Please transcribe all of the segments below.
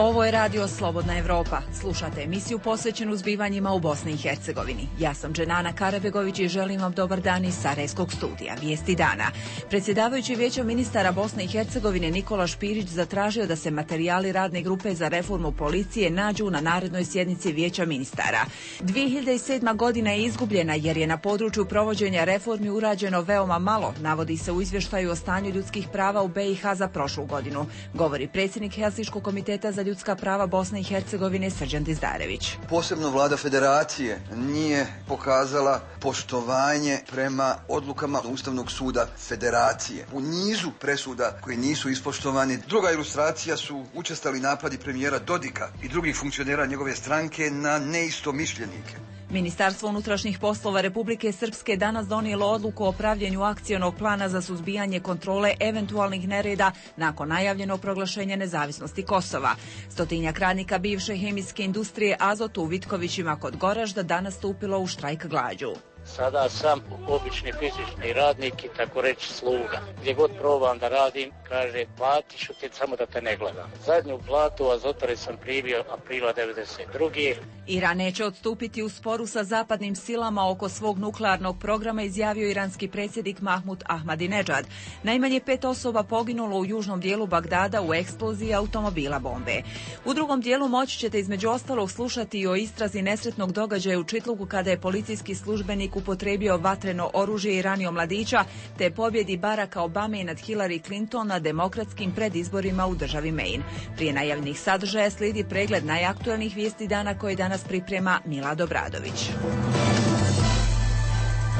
Ovo je radio Slobodna Evropa. Slušate emisiju posvećenu zbivanjima u Bosni i Hercegovini. Ja sam Dženana Karabegović i želim vam dobar dan iz Sarajevskog studija. Vijesti dana. Predsjedavajući Vijećem ministara Bosne i Hercegovine Nikola Špirić zatražio da se materijali radne grupe za reformu policije nađu na narednoj sjednici Vijeća ministara. 2007. godina je izgubljena jer je na području provođenja reformi urađeno veoma malo, navodi se u izvještaju o stanju ljudskih prava u BiH za prošlu godinu, govori predsjednik Helsinškog komiteta za ljudska prava Bosne i Hercegovine Srđan Dizdarević. Posebno vlada federacije nije pokazala poštovanje prema odlukama Ustavnog suda federacije. U nizu presuda koji nisu ispoštovani. Druga ilustracija su učestali napadi premijera Dodika i drugih funkcionera njegove stranke na neistomišljenike. Ministarstvo unutrašnjih poslova Republike Srpske danas donijelo odluku o pravljenju akcionog plana za suzbijanje kontrole eventualnih nereda nakon najavljenog proglašenja nezavisnosti Kosova. 100-tinjak radnika bivše hemijske industrije Azot u Vitkovićima kod Goražda danas stupilo u štrajk glađu. Sada sam obični fizični radnik i tako reći sluga. Gdje god probam da radim, kaže platiš ti samo da te ne gledam. Zadnju platu Azotare sam primio aprila 1992. Iran neće odstupiti u sporu sa zapadnim silama oko svog nuklearnog programa, izjavio iranski predsjednik Mahmud Ahmadinejad. Najmanje 5 osoba poginulo u južnom dijelu Bagdada u eksploziji automobila bombe. U drugom dijelu moći ćete između ostalog slušati i o istrazi nesretnog događaja u Čitlugu kada je policijski službenik upotrijebio vatreno oružje i ranio mladića, te pobjedi Baracka Obame nad Hillary Clinton na demokratskim predizborima u državi Maine. Prije najavljenih sadržaja slijedi pregled najaktuelnijih vijesti dana koje danas priprema Milad Obradović.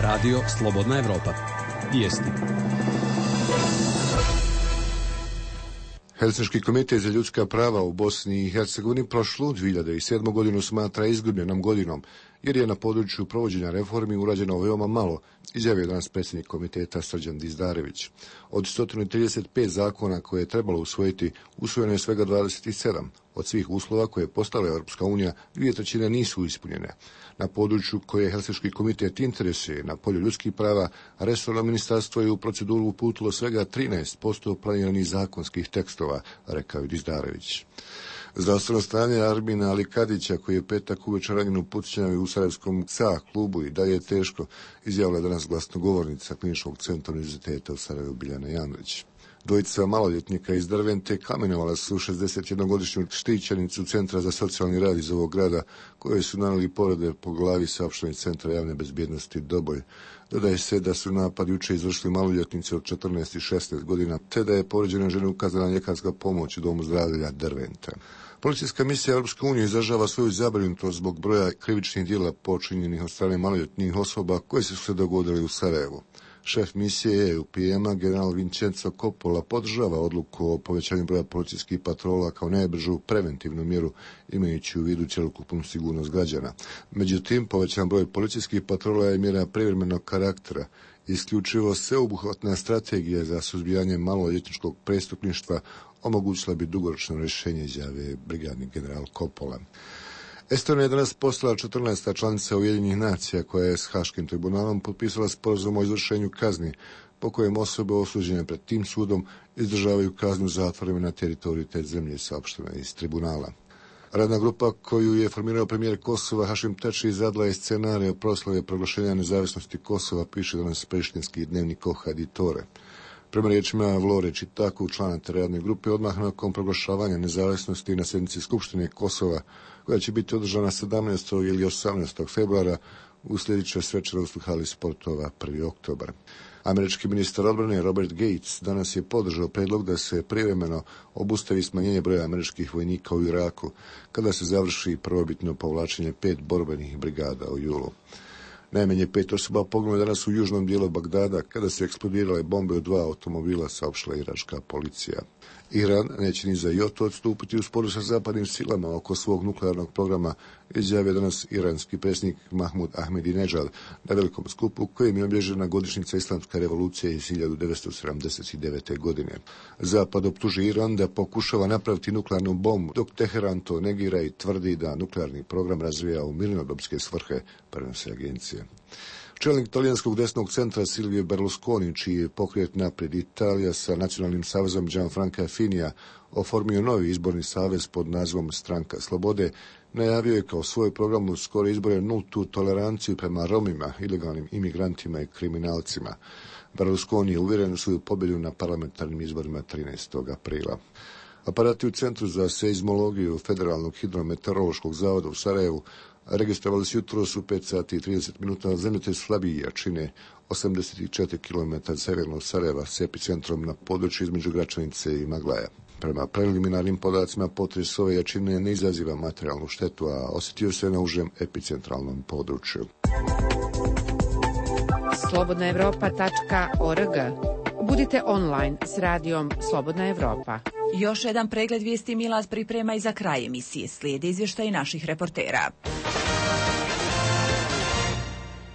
Radio Slobodna Evropa. Vijesti. Helsinški komitet za ljudska prava u Bosni i Hercegovini prošlu 2007. godinu smatra izgubljenom godinom, jer je na području provođenja reformi urađeno veoma malo, izjavio danas predsjednik komiteta Srđan Dizdarević. Od 135 zakona koje je trebalo usvojiti, usvojeno je svega 27. Od svih uslova koje je postavila Europska unija, 2/3 nisu ispunjene. Na području koje Helsinški komitet interesuje na polju ljudskih prava, resorno ministarstvo je u proceduru uputilo svega 13% planiranih zakonskih tekstova, rekao je Dizdarević. Zdravstveno stanje Armina Alikadića, koji je petak uveče ranjen u pucnjavi u Sarajevskom SA klubu i dalje je teško, izjavila danas glasnogovornica Kliničkog centra univerziteta u Sarajevu Biljana Janrić. Dvojica maloljetnika iz Dervente kamenovala su 61-godišnju štićenicu Centra za socijalni rad iz ovog grada, koje su nanijeli povrede po glavi, saopšteni Centra javne bezbjednosti Doboj. Dodaje se da su napad juče izvršili maloljetnici od 14 i 16 godina, te da je povrijeđenoj ženi ukazana ljekarska pomoć u domu zdravlja Dervente. Policijska misija Europske unije izražava svoju zabrinutost zbog broja krivičnih djela počinjenih od strane maloljetnih osoba koje su se dogodili u Sarajevu. Šef misije EUPM-a, general Vincenzo Coppola, podržava odluku o povećanju broja policijskih patrola kao najbržu preventivnu mjeru, imajući u vidu cjelokupnu sigurnost građana. Međutim, povećan broj policijskih patrola je mjera privremenog karaktera. Isključivo sveobuhvatna strategija za suzbijanje maloljetničkog prestupništva omogućila bi dugoročno rješenje, izjave brigadni general Coppola. Estonija je danas postala 14. članica Ujedinjenih nacija koja je s Haškim tribunalom potpisala sporazum o izvršenju kazni po kojem osobe osuđene pred tim sudom izdržavaju kaznu zatvorima na teritoriju te zemlje, saopšteno iz tribunala. Radna grupa koju je formirao premijer Kosova Hašim Tači izradila je scenarij o proslave proglašenja nezavisnosti Kosova, piše danas prištinski dnevnik Ohaditore. Prema riječima Vlore Čitaku, člana te radne grupe, odmah nakon proglašavanja nezavisnosti na sjednici Skupštine Kosova, koja će biti održana 17. ili 18. februara, uslijedit će svečanost u hali sportova 1. oktobar. Američki ministar odbrane Robert Gates danas je podržao predlog da se privremeno obustavi smanjenje broja američkih vojnika u Iraku, kada se završi prvobitno povlačenje 5 borbenih brigada u julu. Najmanje 5 osoba poginulo je danas u južnom dijelu Bagdada kada su eksplodirale bombe u 2 automobila, saopštila iračka policija. Iran neće ni za joto odstupiti u sporu sa zapadnim silama oko svog nuklearnog programa, izjavio danas iranski predsjednik Mahmud Ahmadinejad na velikom skupu kojim je obilježena godišnjica islamske revolucije iz 1979. godine. Zapad optuži Iran da pokušava napraviti nuklearnu bombu, dok Teheran to negira i tvrdi da nuklearni program razvija u mirnodopske svrhe, prenose agencije. Čelnik talijanskog desnog centra Silvio Berlusconi, čiji je pokret Naprijed Italija sa nacionalnim savezom Gianfranca Finija oformio novi izborni savez pod nazivom Stranka slobode, najavio je kao svoj program u skore izbore nultu toleranciju prema Romima, ilegalnim imigrantima i kriminalcima. Berlusconi je uvjeren u svoju pobjedu na parlamentarnim izborima 13. aprila. Aparati u Centru za seizmologiju Federalnog hidrometeorološkog zavoda u Sarajevu registrovali su jutros u 5 sati i 30 minuta zemljotres slabije jačine 84 km severno od Sarajeva s epicentrom na području između Gračanice i Maglaja. Prema preliminarnim podacima, potres ove jačine ne izaziva materijalnu štetu, a osjetio se na užem epicentralnom području. Slobodnaevropa.org. Budite online s radijom Slobodna Evropa. Još jedan pregled vijesti Milaz priprema i za kraj emisije. Slijede izvještaji naših reportera.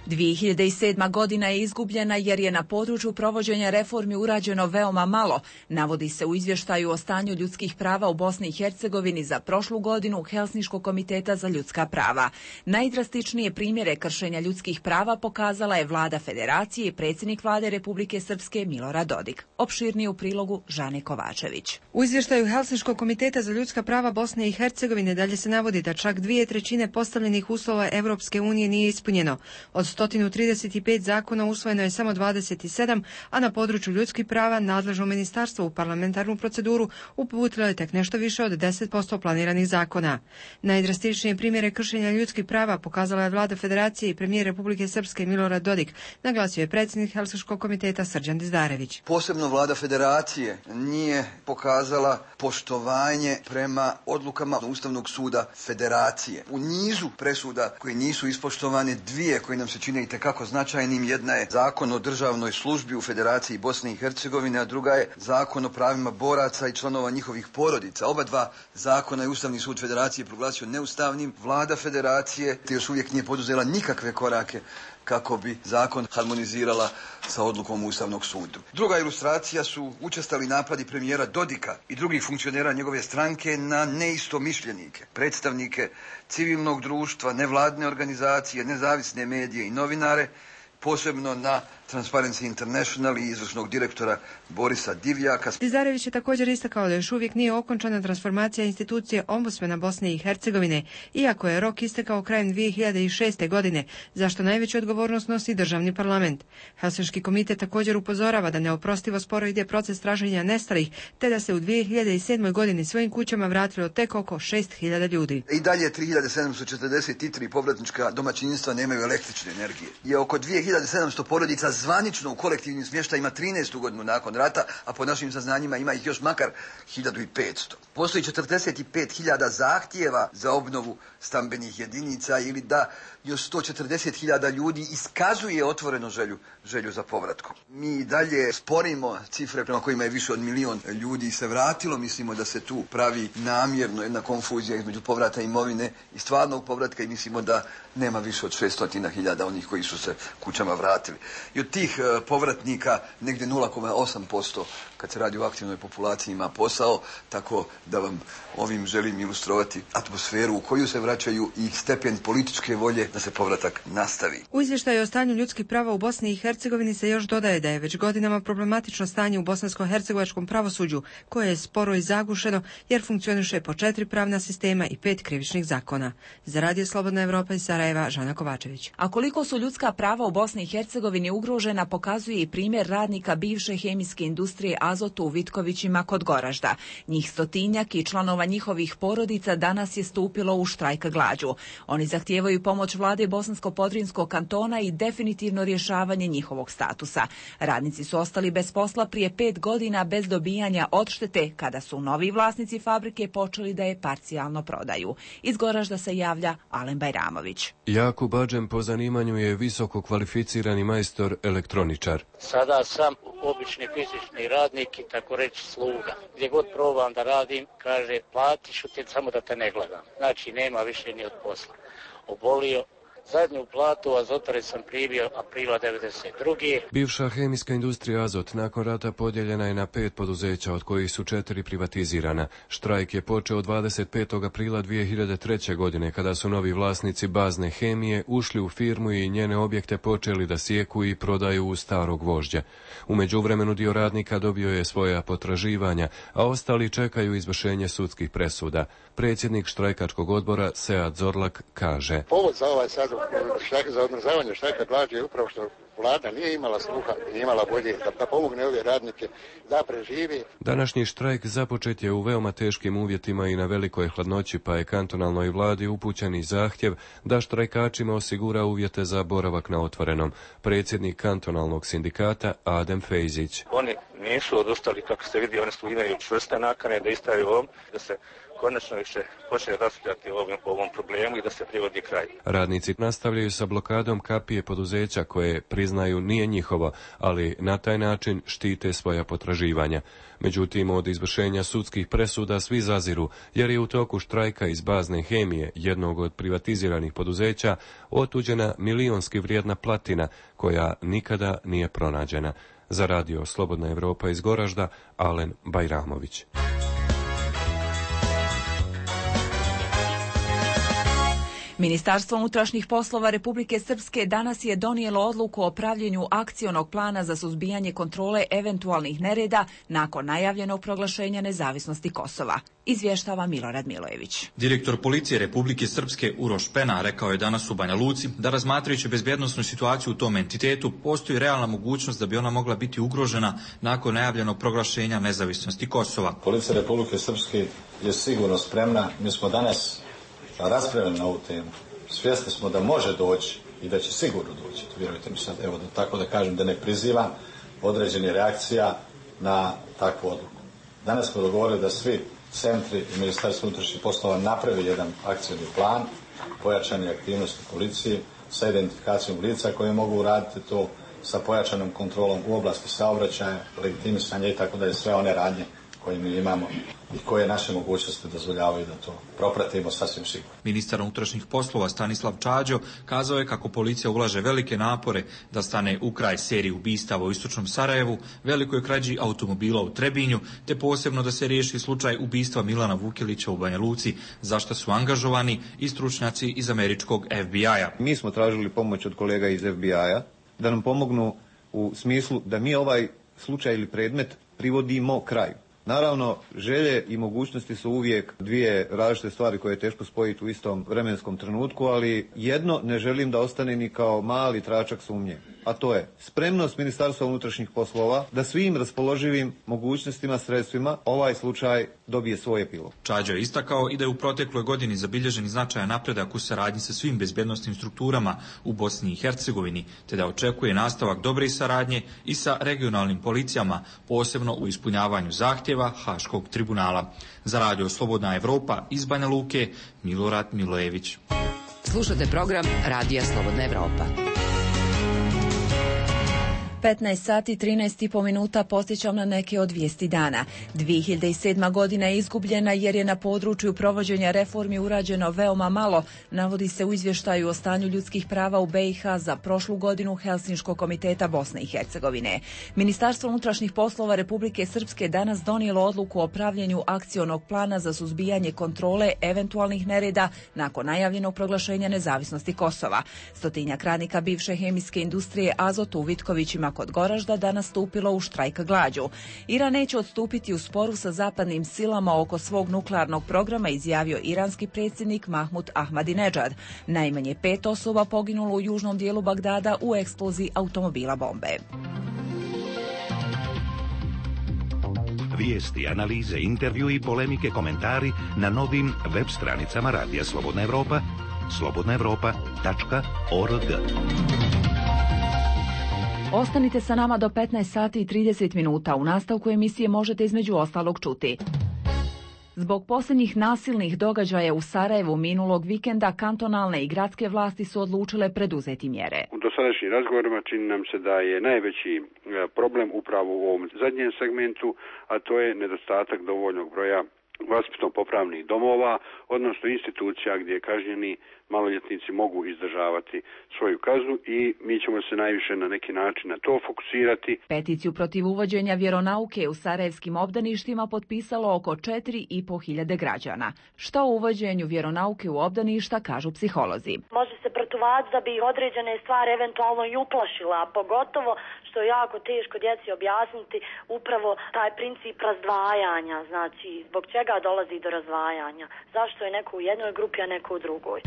2007. godina je izgubljena jer je na području provođenja reformi urađeno veoma malo, navodi se u izvještaju o stanju ljudskih prava u Bosni i Hercegovini za prošlu godinu Helsinškog komiteta za ljudska prava. Najdrastičnije primjere kršenja ljudskih prava pokazala je vlada Federacije i predsjednik vlade Republike Srpske Milorad Dodik. Opširnije u prilogu Žane Kovačević. U izvještaju Helsinškog komiteta za ljudska prava Bosne i Hercegovine dalje se navodi da čak 2/3 postavljenih uslova Europske unije nije ispunjeno. Od 135 zakona usvojeno je samo 27, a na području ljudskih prava nadležno ministarstvo u parlamentarnu proceduru uputilo je tek nešto više od 10% planiranih zakona. Najdrastičnije primjere kršenja ljudskih prava pokazala je vlada Federacije i premijer Republike Srpske Milorad Dodik, naglasio je predsjednik Helsinškog komiteta Srđan Dizdarević. Posebno vlada Federacije nije pokazala poštovanje prema odlukama Ustavnog suda Federacije. U nizu presuda koje nisu ispoštovane, dvije koje nam se čine itekako značajnim, jedna je Zakon o državnoj službi u Federaciji Bosne i Hercegovine, a druga je Zakon o pravima boraca i članova njihovih porodica. Oba dva zakona je Ustavni sud Federacije proglasio neustavnim. Vlada Federacije još uvijek nije poduzela nikakve korake kako bi zakon harmonizirala sa odlukom Ustavnog suda. Druga ilustracija su učestali napadi premijera Dodika i drugih funkcionera njegove stranke na neistomišljenike, predstavnike civilnog društva, nevladine organizacije, nezavisne medije i novinare, posebno na Transparency International i izvršnog direktora Borisa Divjaka. Dizdarević je također istakao da još uvijek nije okončana transformacija institucije ombudsmana Bosne i Hercegovine, iako je rok istekao krajem 2006. godine, zašto najveću odgovornost nosi državni parlament. Helsinški komitet također upozorava da neoprostivo sporo ide proces traženja nestalih, te da se u 2007. godini svojim kućama vratilo tek oko 6.000 ljudi. I dalje 3.743 povratnička domaćinstva nemaju električne energije. Je oko 2.700 porodica zvanično u kolektivnim smještajima 13. godinu nakon rata, a po našim saznanjima ima ih još makar 1.500. Postoji 45.000 zahtjeva za obnovu stambenih jedinica ili da još 140.000 ljudi iskazuje otvoreno želju za povratkom. Mi dalje sporimo cifre prema kojima je više od 1 milion ljudi se vratilo. Mislimo da se tu pravi namjerno jedna konfuzija između povrata imovine i stvarnog povratka i mislimo da nema više od 600.000 onih koji su se kućama vratili. I od tih povratnika negdje 0,8% kad se radi o aktivnoj populaciji ima posao, tako da vam ovim želim ilustrovati atmosferu u koju se vraćaju i stepen političke volje da se povratak nastavi. U izvještaju o stanju ljudskih prava u Bosni i Hercegovini se još dodaje da je već godinama problematično stanje u bosansko-hercegovačkom pravosuđu, koje je sporo i zagušeno jer funkcioniše po 4 pravna sistema i 5 krivičnih zakona. Za Radio Slobodna Evropa iz Sarajeva, Žana Kovačević. A koliko su ljudska prava u Bosni i Hercegovini ugrožena pokazuje i primjer radnika bivše hemijske industrije Azotu u Vitkovićima kod Goražda. Njih 100-tinjak i članova njihovih porodica danas je stupilo u štrajk glađu. Oni zahtijevaju pomoć vlade Bosansko-Podrinskog kantona i definitivno rješavanje njihovog statusa. Radnici su ostali bez posla prije 5 godina bez dobijanja odštete kada su novi vlasnici fabrike počeli da je parcijalno prodaju. Iz Goražda se javlja Alen Bajramović. Jakub Adžem po zanimanju je visoko kvalificirani majstor elektroničar. Sada sam obični fizični radnik i tako reći sluga. Gdje god probam da radim, kaže platiš te samo da te ne gledam. Znači nema više ni od posla. Obolio, Zadnju platu Azotare sam primio aprila 1992. Bivša hemijska industrija Azot nakon rata podijeljena je na 5 poduzeća, od kojih su 4 privatizirana. Štrajk je počeo 25. aprila 2003. godine, kada su novi vlasnici bazne hemije ušli u firmu i njene objekte počeli da sijeku i prodaju u starog vožđa. U međuvremenu dio radnika dobio je svoja potraživanja, a ostali čekaju izvršenje sudskih presuda. Predsjednik štrajkačkog odbora Sead Zorlak kaže: Povod za ovaj sad štrajk, za odmrzavanje štrajka glađu je upravo što vlada nije imala sluha, nije imala volje da pomogne ove radnike da preživi. Današnji štrajk započet je u veoma teškim uvjetima i na velikoj hladnoći, pa je kantonalnoj vladi upućen i zahtjev da štrajkačima osigura uvjete za boravak na otvorenom. Predsjednik kantonalnog sindikata Adem Fejzić: Oni nisu odustali, kako ste vidi, oni su imaju čvrste nakane da istraju ovom, da se konačno više počne raspravljati o ovom problemu i da se privodi kraj. Radnici nastavljaju sa blokadom kapije poduzeća koje, priznaju, nije njihovo, ali na taj način štite svoja potraživanja. Međutim, od izvršenja sudskih presuda svi zaziru, jer je u toku štrajka iz bazne hemije, jednog od privatiziranih poduzeća, otuđena milionski vrijedna platina koja nikada nije pronađena. Za radio Slobodna Evropa iz Goražda, Alen Bajramović. Ministarstvo unutrašnjih poslova Republike Srpske danas je donijelo odluku o pravljenju akcionog plana za suzbijanje kontrole eventualnih nereda nakon najavljenog proglašenja nezavisnosti Kosova. Izvještava Milorad Milojević. Direktor policije Republike Srpske Uroš Pena rekao je danas u Banja Luci da, razmatrajući bezbjednosnu situaciju u tom entitetu, postoji realna mogućnost da bi ona mogla biti ugrožena nakon najavljenog proglašenja nezavisnosti Kosova. Policija Republike Srpske je sigurno spremna. Mi smo danas raspravljali na ovu temu. Svjesni smo da može doći i da će sigurno doći. Vjerujte mi sad, evo da tako da kažem, da ne prizivam određene reakcija na takvu odluku. Danas smo dogovorili da svi centri i Ministarstvo unutrašnjih poslova napravi jedan akcijni plan, pojačane aktivnosti policije sa identifikacijom lica koje mogu raditi to, sa pojačanom kontrolom u oblasti saobraćaja, legitimisanja i tako da je sve one radnje koje mi imamo i koje naše mogućnosti dozvoljavaju da to propratimo sasvim sigurno. Ministar unutrašnjih poslova Stanislav Čađo kazao je kako policija ulaže velike napore da stane u kraj seriji ubistava u istočnom Sarajevu, velikoj krađi automobila u Trebinju, te posebno da se riješi slučaj ubistva Milana Vukelića u Banja Luci, za što su angažovani i stručnjaci iz američkog FBI-a. Mi smo tražili pomoć od kolega iz FBI-a da nam pomognu u smislu da mi ovaj slučaj ili predmet privodimo kraju. Naravno, želje i mogućnosti su uvijek dvije različite stvari koje je teško spojiti u istom vremenskom trenutku, ali jedno ne želim da ostane ni kao mali tračak sumnje, a to je spremnost Ministarstva unutrašnjih poslova da svim raspoloživim mogućnostima, sredstvima ovaj slučaj dobije svoj epilog. Čađo je istakao i da je u protekloj godini zabilježen značajan napredak u saradnji sa svim bezbjednosnim strukturama u Bosni i Hercegovini, te da očekuje nastavak dobre saradnje i sa regionalnim policijama, posebno u ispunjavanju zahtjeva Haškog tribunala. Za radio Slobodna Evropa iz Banja Luke, Milorad Milojević. Slušate program Radija Slobodna Evropa. 15 sati 13,5 minuta podsjećam na neke od vijesti dana. 2007. godina je izgubljena jer je na području provođenja reformi urađeno veoma malo, navodi se u izvještaju o stanju ljudskih prava u BiH za prošlu godinu Helsinškog komiteta Bosne i Hercegovine. Ministarstvo unutrašnjih poslova Republike Srpske danas donijelo odluku o pravljenju akcionog plana za suzbijanje kontrole eventualnih nereda nakon najavljenog proglašenja nezavisnosti Kosova. 100-tinjak radnika bivše hemijske industrije Azot u Vitkovićima kod Goražda danas stupilo u štrajk glađu. Iran neće odstupiti u sporu sa zapadnim silama oko svog nuklearnog programa, izjavio iranski predsjednik Mahmud Ahmadinejad. Najmanje 5 osoba poginulo u južnom dijelu Bagdada u eksploziji automobila bombe. Vijesti, analize, intervju i polemike, komentari na novim web stranicama Radija Slobodna Evropa, slobodnaevropa.org. Ostanite sa nama do 15 sati i 30 minuta. U nastavku emisije možete između ostalog čuti. Zbog posljednjih nasilnih događaja u Sarajevu minulog vikenda kantonalne i gradske vlasti su odlučile preduzeti mjere. U dosadašnjim razgovorima čini nam se da je najveći problem upravo u ovom zadnjem segmentu, a to je nedostatak dovoljnog broja vaspitno-popravnih domova, odnosno institucija gdje kažnjeni maloljetnici mogu izdržavati svoju kaznu i mi ćemo se najviše na neki način na to fokusirati. Peticiju protiv uvođenja vjeronauke u sarajevskim obdaništima potpisalo oko 4.500 građana. Što o uvođenju vjeronauke u obdaništa kažu psiholozi? Može se protuvac da bi određene stvari eventualno i uplašila, a pogotovo što je jako teško djeci objasniti upravo taj princip razdvajanja, znači zbog čega dolazi do razdvajanja, zašto je neko u jednoj grupi, a neko u drugoj.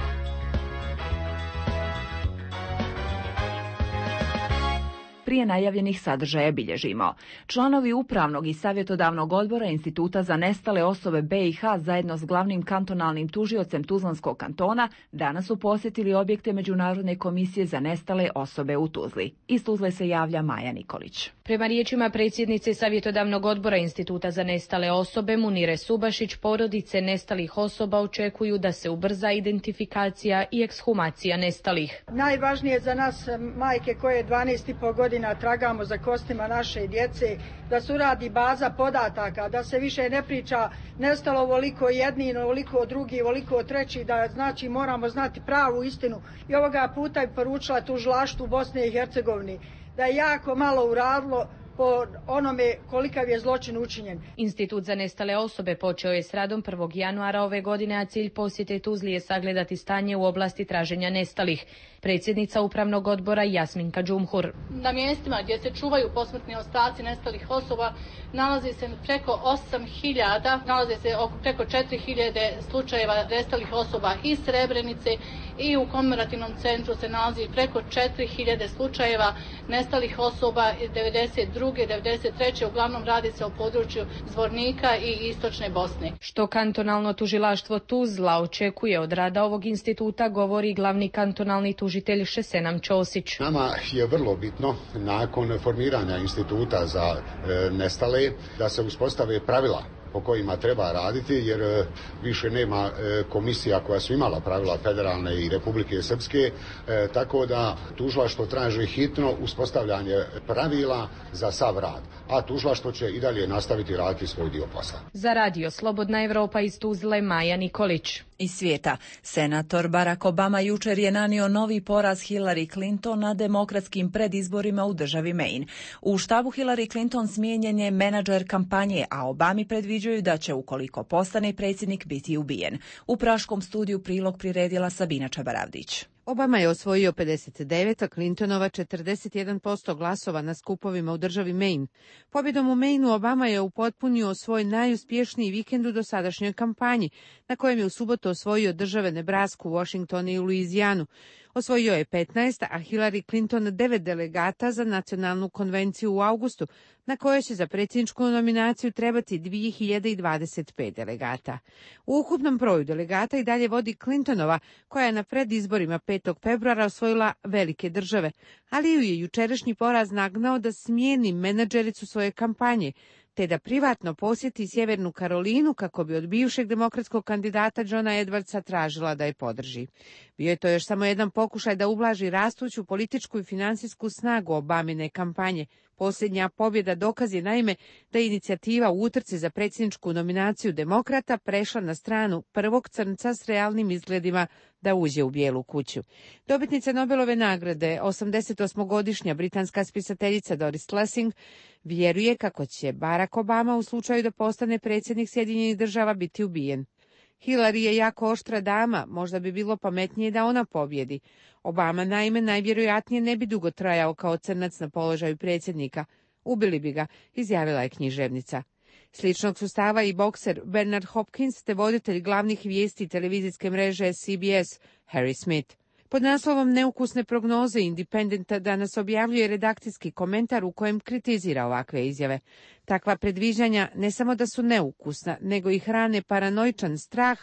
Prije najavljenih sadržaja bilježimo. Članovi Upravnog i Savjetodavnog odbora Instituta za nestale osobe BiH zajedno s glavnim kantonalnim tužiocem Tuzlanskog kantona danas su posjetili objekte Međunarodne komisije za nestale osobe u Tuzli. Iz Tuzle se javlja Maja Nikolić. Prema riječima predsjednice Savjetodavnog odbora Instituta za nestale osobe Munire Subašić, porodice nestalih osoba očekuju da se ubrza identifikacija i ekshumacija nestalih. Najvažnije za nas majke koje 12,5 godina tragamo za kostima naše djece, da se uradi baza podataka, da se više ne priča nestalo ovoliko jedni, ovoliko drugi, ovoliko treći, da znači moramo znati pravu istinu. I ovoga puta bi poručila tužilaštvu Bosne i Hercegovine da je jako malo uradilo po onome kolikav je zločin učinjen. Institut za nestale osobe počeo je s radom 1. januara ove godine, a cilj posjete Tuzli je sagledati stanje u oblasti traženja nestalih. Predsjednica Upravnog odbora Jasminka Džumhur. Na mjestima gdje se čuvaju posmrtni ostaci nestalih osoba nalazi se preko 8.000, nalazi se preko 4.000 slučajeva nestalih osoba iz Srebrenice i u komemorativnom centru se nalazi preko 4.000 slučajeva nestalih osoba iz 92. 93. Uglavnom radi se o području Zvornika i Istočne Bosne. Što kantonalno tužilaštvo Tuzla očekuje od rada ovog instituta, govori glavni kantonalni tužitelj Šesenam Ćosić. Nama je vrlo bitno nakon formiranja instituta za nestale da se uspostave pravila po kojima treba raditi, jer više nema komisija koja su imala pravila federalne i Republike Srpske, tako da tužilaštvo traži hitno uspostavljanje pravila za sav rad, a tužilaštvo će i dalje nastaviti raditi svoj dio posla. Za radio Slobodna Evropa iz Tuzle, Maja Nikolić. Iz svijeta, senator Barack Obama jučer je nanio novi poraz Hillary Clinton na demokratskim predizborima u državi Maine. U štabu Hillary Clinton smijenjen je menadžer kampanje, a Obami predviđaju da će, ukoliko postane predsjednik, biti ubijen. U praškom studiju prilog priredila Sabina Čabaravdić. Obama je osvojio 59, a Clintonova 41% glasova na skupovima u državi Maine. Pobjedom u Maineu Obama je upotpunio svoj najuspješniji vikend u dosadašnjoj kampanji, na kojem je u subotu osvojio države Nebrasku, Washington i Luizijanu. Osvojio je 15, a Hillary Clinton 9 delegata za nacionalnu konvenciju u avgustu, na kojoj će za predsjedničku nominaciju trebati 2025 delegata. U ukupnom broju delegata i dalje vodi Clintonova, koja je na predizborima 5. februara osvojila velike države, ali ju je jučerašnji poraz nagnao da smijeni menadžericu svoje kampanje, te da privatno posjeti Sjevernu Karolinu kako bi od bivšeg demokratskog kandidata Johna Edwardsa tražila da je podrži. Bio je to još samo jedan pokušaj da ublaži rastuću političku i financijsku snagu Obamine kampanje. Posljednja pobjeda dokaz je naime da je inicijativa u utrci za predsjedničku nominaciju demokrata prešla na stranu prvog crnca s realnim izgledima da uđe u Bijelu kuću. Dobitnica Nobelove nagrade, 88-godišnja britanska spisateljica Doris Lessing, vjeruje kako će Barack Obama u slučaju da postane predsjednik Sjedinjenih Država biti ubijen. Hillary je jako oštra dama, možda bi bilo pametnije da ona pobjedi. Obama naime najvjerojatnije ne bi dugo trajao kao crnac na položaju predsjednika. Ubili bi ga, izjavila je književnica. Sličnog su stava i bokser Bernard Hopkins te voditelj glavnih vijesti televizijske mreže CBS Harry Smith. Pod naslovom Neukusne prognoze Independenta danas objavljuje redakcijski komentar u kojem kritizira ovakve izjave. Takva predviđanja ne samo da su neukusna, nego i hrane paranoičan strah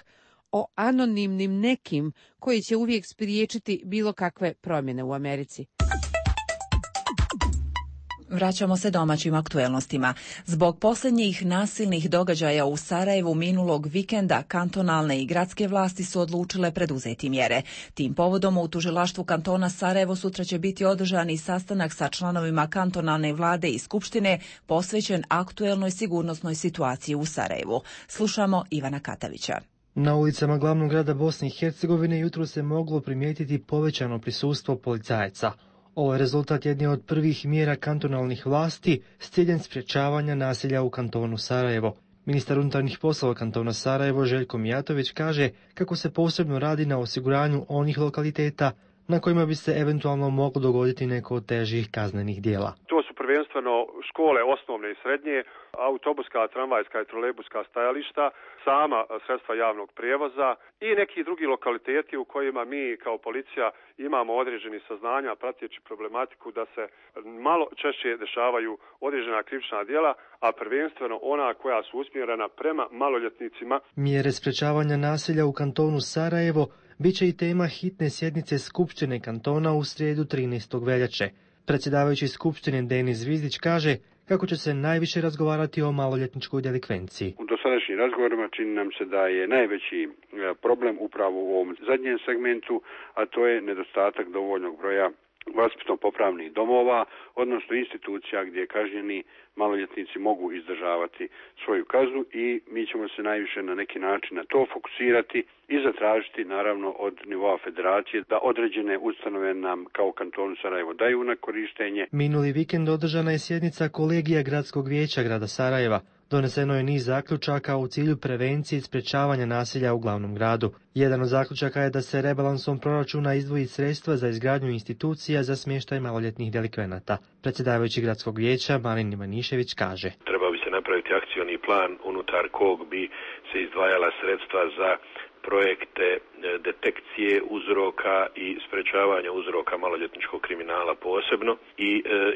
o anonimnim nekim koji će uvijek spriječiti bilo kakve promjene u Americi. Vraćamo se domaćim aktuelnostima. Zbog posljednjih nasilnih događaja u Sarajevu minulog vikenda kantonalne i gradske vlasti su odlučile preduzeti mjere. Tim povodom u tužilaštvu kantona Sarajevo sutra će biti održani sastanak sa članovima kantonalne vlade i skupštine posvećen aktuelnoj sigurnosnoj situaciji u Sarajevu. Slušamo Ivana Katavića. Na ulicama glavnog grada Bosne i Hercegovine jutro se moglo primijetiti povećano prisustvo policajaca. Ovo je rezultat jedne od prvih mjera kantonalnih vlasti s ciljem sprječavanja nasilja u kantonu Sarajevo. Ministar unutarnjih poslova kantona Sarajevo Željko Mijatović kaže kako se posebno radi na osiguranju onih lokaliteta na kojima bi se eventualno moglo dogoditi neko od težih kaznenih dijela. To su prvenstveno škole osnovne i srednje, autobuska, tramvajska i trolejbuska stajališta, sama sredstva javnog prijevoza i neki drugi lokaliteti u kojima mi kao policija imamo određeni saznanja prateći problematiku da se malo češće dešavaju određena krivična djela, a prvenstveno ona koja su usmjerena prema maloljetnicima. Mjere sprečavanja nasilja u kantonu Sarajevo bit će i tema hitne sjednice Skupštine kantona u srijedu 13. veljače. Predsjedavajući Skupštine Denis Zvizdić kaže kako će se najviše razgovarati o maloljetničkoj delikvenciji. U dosadašnjim razgovorima čini nam se da je najveći problem upravo u ovom zadnjem segmentu, a to je nedostatak dovoljnog broja vaspitno-popravnih domova, odnosno institucija gdje kažnjeni maloljetnici mogu izdržavati svoju kaznu i mi ćemo se najviše na neki način na to fokusirati i zatražiti naravno od nivoa federacije da određene ustanove nam kao kantonu Sarajevo daju na korištenje. Minuli vikend održana je sjednica kolegija Gradskog vijeća grada Sarajeva. Doneseno je niz zaključaka u cilju prevencije i sprečavanja nasilja u glavnom gradu. Jedan od zaključaka je da se rebalansom proračuna izdvoji sredstva za izgradnju institucija za smještaj maloljetnih delikvenata. Predsjedavajući Gradskog vijeća Marin Ivanišević kaže: Trebao bi se napraviti akcioni plan unutar kog bi se izdvajala sredstva za projekte detekcije uzroka i sprečavanja uzroka maloljetničkog kriminala posebno i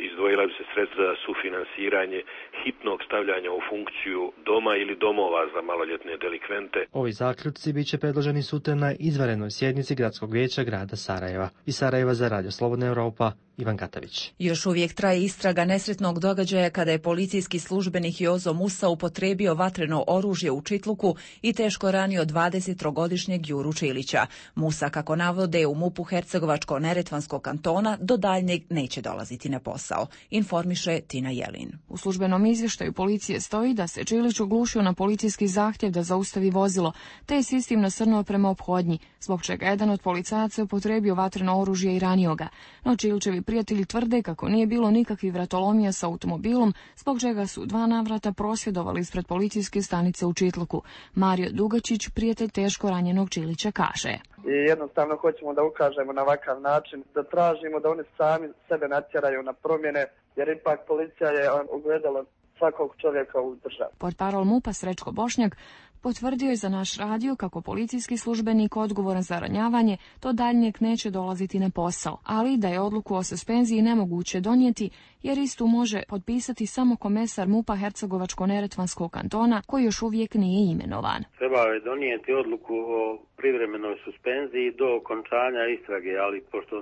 izdvojila bi se sredstva za sufinansiranje hitnog stavljanja u funkciju doma ili domova za maloljetne delikvente. Ovi zaključci bit će predloženi sutra na izvanrednoj sjednici Gradskog vijeća grada Sarajeva. Iz Sarajeva za Radio Slobodna Europa, Ivan Katavić. Još uvijek traje istraga nesretnog događaja kada je policijski službenik Jozo Musa upotrijebio vatreno oružje u Čitluku i teško ranio 23-godišnjeg Juru Čilića. Musa, kako navode u MUP-u Hercegovačko-Neretvanskog kantona, do daljnjeg neće dolaziti na posao, informiše Tina Jelin. U službenom izvještaju policije stoji da se Čilić oglušio na policijski zahtjev da zaustavi vozilo, te je s istim nasrnuo prema ophodnji, zbog čega jedan od policajaca upotrijebio vatreno oružje i ranio ga. No Čilićevi prijatelji tvrde kako nije bilo nikakvih vratolomija sa automobilom, zbog čega su 2 navrata prosvjedovali ispred policijske stanice u Čitluku. Mario Dugačić, prijatelj teško ranjenog Čilića, kaže: I jednostavno hoćemo da ukažemo na ovakav način, da tražimo da oni sami sebe natjeraju na promjene, jer ipak policija je ogledalo svakog čovjeka u državi. Portparol MUP-a Srećko Bošnjak potvrdio je za naš radio kako policijski službenik odgovoran za ranjavanje do daljnjeg neće dolaziti na posao, ali da je odluku o suspenziji nemoguće donijeti jer istu može potpisati samo komesar MUP-a Hercegovačko-Neretvanskog kantona koji još uvijek nije imenovan. Trebao je donijeti odluku o privremenoj suspenziji do okončanja istrage, ali pošto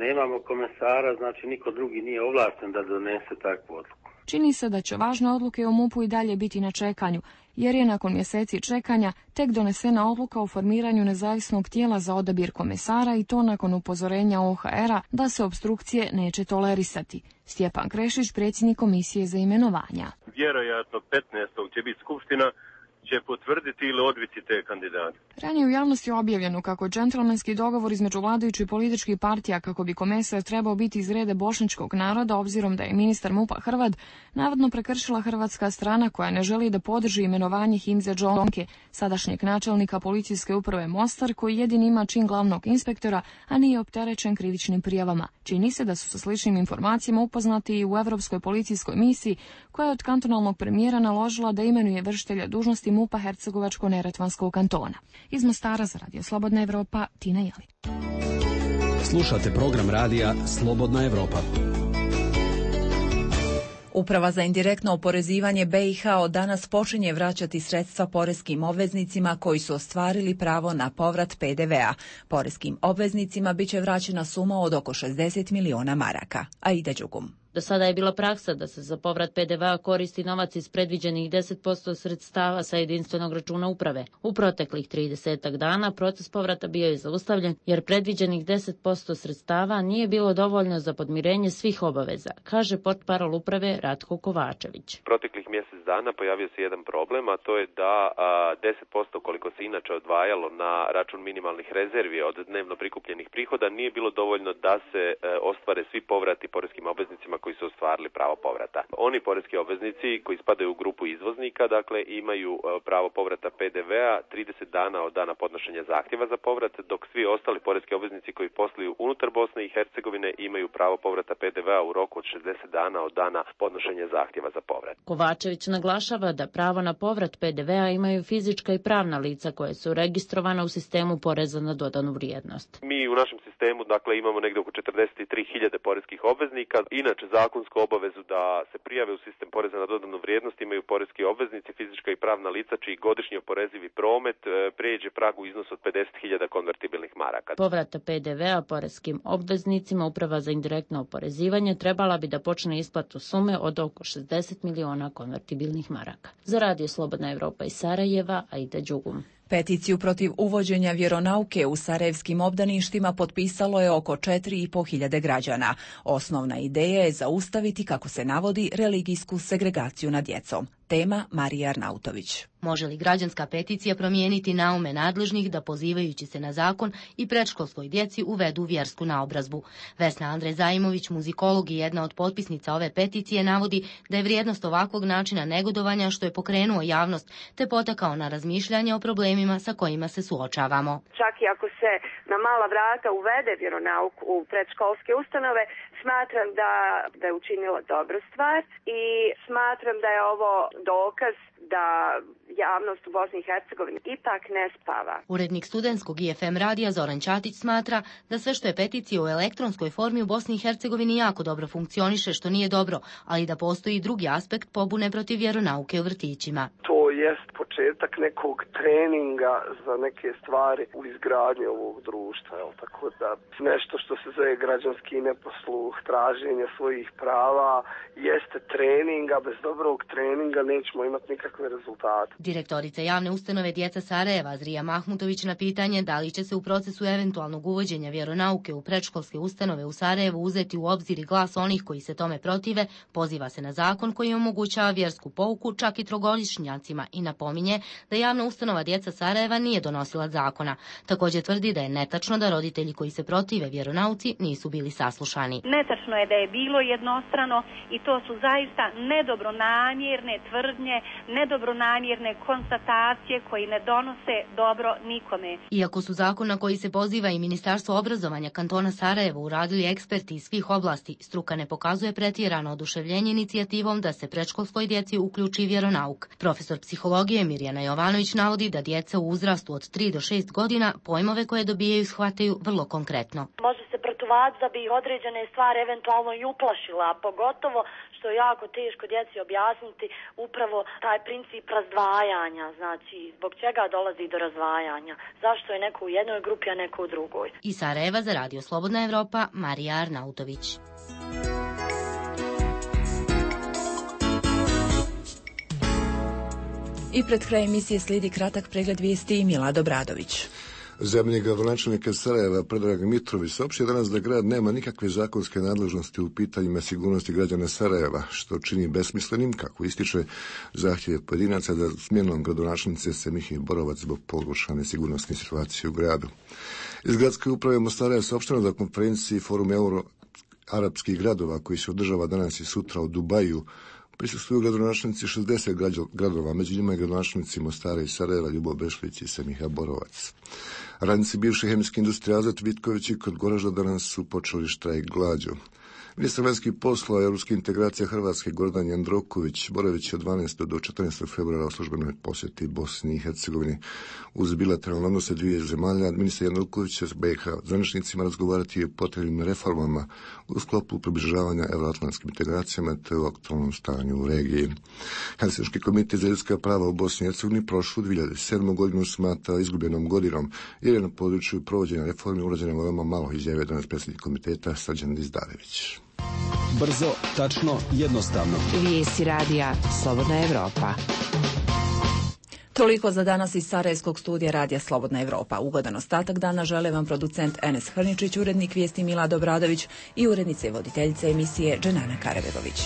nemamo komesara, znači niko drugi nije ovlašten da donese takvu odluku. Čini se da će važne odluke o MUP-u i dalje biti na čekanju, jer je nakon mjeseci čekanja tek donesena odluka o formiranju nezavisnog tijela za odabir komesara i to nakon upozorenja OHR-a da se opstrukcije neće tolerisati. Stjepan Krešić, predsjednik komisije za imenovanja. Vjerojatno 15. će biti skupština, će potvrditi ili odbiti te kandidate. Ranije u javnosti je objavljeno kako je džentlmenski dogovor između vladajućih političkih partija kako bi komesar trebao biti iz reda bošnjačkog naroda, obzirom da je ministar MUP-a Hrvat navodno prekršila hrvatska strana koja ne želi da podrži imenovanje Himze Džonke, sadašnjeg načelnika policijske uprave Mostar, koji jedini ima čin glavnog inspektora, a nije opterećen krivičnim prijavama. Čini se da su sa sličnim informacijama upoznati i u Europskoj policijskoj misiji, koja je od kantonalnog premijera naložila da imenuje vršitelja dužnosti MUP-a Hercegovačko-Neretvanskog kantona. Iz Mostara za Radio Slobodna Evropa, Tina Jelin. Slušate program radija Slobodna Evropa. Uprava za indirektno oporezivanje BiH od danas počinje vraćati sredstva poreskim obveznicima koji su ostvarili pravo na povrat PDV-a. Poreskim obveznicima biće vraćena suma od oko 60 miliona maraka. Aida Đugum. Do sada je bila praksa da se za povrat PDV-a koristi novac iz predviđenih 10% sredstava sa jedinstvenog računa uprave. U proteklih 30 dana proces povrata bio je zaustavljen jer predviđenih 10% sredstava nije bilo dovoljno za podmirenje svih obaveza, kaže portparol uprave Ratko Kovačević. Proteklih mjesec dana pojavio se jedan problem, a to je da 10% koliko se inače odvajalo na račun minimalnih rezervi od dnevno prikupljenih prihoda nije bilo dovoljno da se ostvare svi povrati poreskim obveznicima koji su ostvarili pravo povrata. Oni poreski obveznici koji spadaju u grupu izvoznika, dakle, imaju pravo povrata PDV-a 30 dana od dana podnošenja zahtjeva za povrat, dok svi ostali poreski obveznici koji posluju unutar Bosne i Hercegovine imaju pravo povrata PDV-a u roku od 60 dana od dana podnošenja zahtjeva za povrat. Kovačević naglašava da pravo na povrat PDV-a imaju fizička i pravna lica koje su registrovana u sistemu poreza na dodanu vrijednost. Mi u našem sistemu, dakle, imamo negdje oko 43.000 poreskih obveznika. Inače, zakonsku obavezu da se prijave u sistem poreza na dodanu vrijednost imaju poreski obveznici, fizička i pravna lica čiji godišnji oporezivi promet prijeđe pragu iznos od 50.000 konvertibilnih maraka. Povrata PDV-a poreskim obveznicima Uprava za indirektno oporezivanje trebala bi da počne isplatu sume od oko 60 miliona konvertibilnih maraka. Za Radio Slobodna Evropa iz Sarajeva, Aida Đugum. Peticiju protiv uvođenja vjeronauke u sarajevskim obdaništima potpisalo je oko 4.500 građana. Osnovna ideja je zaustaviti, kako se navodi, religijsku segregaciju nad djecom. Tema Marija Arnautović. Može li građanska peticija promijeniti naume nadležnih da pozivajući se na zakon i predškolskoj djeci uvedu vjersku naobrazbu? Vesna Andrej Zajimović, muzikolog i jedna od potpisnica ove peticije, navodi da je vrijednost ovakvog načina negodovanja što je pokrenuo javnost te potakao na razmišljanje o problemima sa kojima se suočavamo. Čak i ako se na mala vrata uvede vjeronauk u predškolske ustanove, smatram da je učinila dobru stvar i smatram da je ovo dokaz da javnost u Bosni i Hercegovini ipak ne spava. Urednik studentskog IFM radija Zoran Ćatić smatra da sve što je peticija u elektronskoj formi u Bosni i Hercegovini jako dobro funkcioniše, što nije dobro, ali da postoji drugi aspekt pobune protiv vjeronauke u vrtićima. To jest početak nekog treninga za neke stvari u izgradnji ovog društva, tako da nešto što se zove građanski neposluh, traženje svojih prava, jeste trening, a bez dobrog treninga nećemo imati nikakve rezultate. Direktorica javne ustanove Djeca Sarajeva Zrija Mahmutović na pitanje da li će se u procesu eventualnog uvođenja vjeronauke u predškolske ustanove u Sarajevu uzeti u obzir i glas onih koji se tome protive, poziva se na zakon koji omogućava vjersku pouku čak i trogodišnjacima i napominje da javna ustanova Djeca Sarajeva nije donosila zakona. Također tvrdi da je netačno da roditelji koji se protive vjeronauci nisu bili saslušani. Netačno je da je bilo jednostrano i to su zaista nedobronamjerne tvrdnje, nedobronamjerne konstatacije koji ne donose dobro nikome. Iako su zakon na koji se poziva i Ministarstvo obrazovanja kantona Sarajevo uradili eksperti iz svih oblasti, struka ne pokazuje pretjerano oduševljenje inicijativom da se predškolskoj djeci uključi vjeronauk. Profesor psihologije Mirjana Jovanović navodi da djeca u uzrastu od 3 do 6 godina pojmove koje dobijaju shvataju vrlo konkretno. Može se protuvac da bi ih određene stvari eventualno i uplašila, a pogotovo što je jako teško djeci objasniti upravo taj princip razdvajanja, znači zbog čega dolazi do razdvajanja, zašto je neko u jednoj grupi, a neko u drugoj. Iz Sarajeva za Radio Slobodna Evropa, Marija Arnautović. I pred kraj emisije slijedi kratak pregled vijesti i Milad Obradović. Zamjenik gradonačelnika Sarajeva Predrag Mitrović saopštio danas da grad nema nikakve zakonske nadležnosti u pitanjima sigurnosti građana Sarajeva, što čini besmislenim, kako ističe, zahtjeve pojedinaca za smjenom gradonačelnice Semihe Borovac zbog pogoršane sigurnosne situacije u gradu. Iz gradske uprave Mostara je saopšteno da konferenciji Forum Euro-arapskih gradova koji se održava danas i sutra u Dubaju prisustvuju gradonačelnici 60 gradova, među njima i gradonačelnici Mostara i Sarajeva, Ljubo Bešlić i Semiha Borovac. Radnici bivše hemijske industrije Azot Vitković i kod Goražda danas su počeli štrajk glađu. Ministar vanjskih poslova i europskih integracija Hrvatske Gordan Jandroković boravit od 12. do 14. februara u službenoj posjeti Bosni i Hercegovini. Uz bilateralne odnose dvije zemalja, ministar Jandroković će s BiH zvaničnicima razgovarati o potrebnim reformama u sklopu približavanja euroatlantskim integracijama te o aktualnom stanju u regiji. Helsinški komitet za ljudska prava u Bosni i Hercegovini prošlu 2007. godinu smatra izgubljenom godinom jer je na području provođenja reformi urađeno veoma malo, izjavio danas predsjednik komiteta Srđan Dizdarević. Brzo, tačno, jednostavno. Vijesti radija Slobodna Evropa. Toliko za danas iz Sarajevskog studija radija Slobodna Evropa. Ugodan ostatak dana žele vam producent Enes Hrničić, urednik vijesti Milad Obradović i urednica i voditeljica emisije Dženana Karabegović.